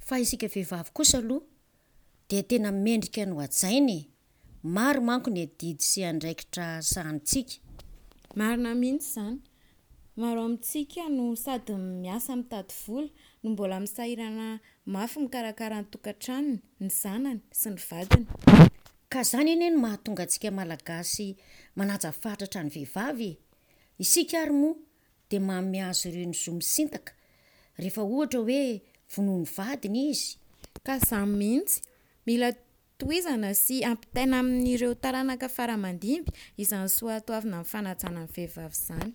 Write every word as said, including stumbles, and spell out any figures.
Fa isika vehivavy kosa aloha dia tena mendrika ny ho hajaina e. Maro manko ny adidy sy andraikitra sahanintsika. Marina mihitsy izany. Maro amintsika no sady miasa mitady vola no mbola misahirana mafy mikarakara ny tokantranony, ny zanany sy ny vadiny. Ka izany anie no mahatonga antsika Malagasy manaja fatratra ny vehivavy e. Isika ary moa dia manome azy ireo ny zo misintaka rehefa ohatra hoe vonoin'ny vadiny izy. Ka izany mihitsy. Mila tohizana sy ampitaina amin'ireo taranaka fara aman-dimby izany soatoavina amin'ny fanajana ny vehivavy izany.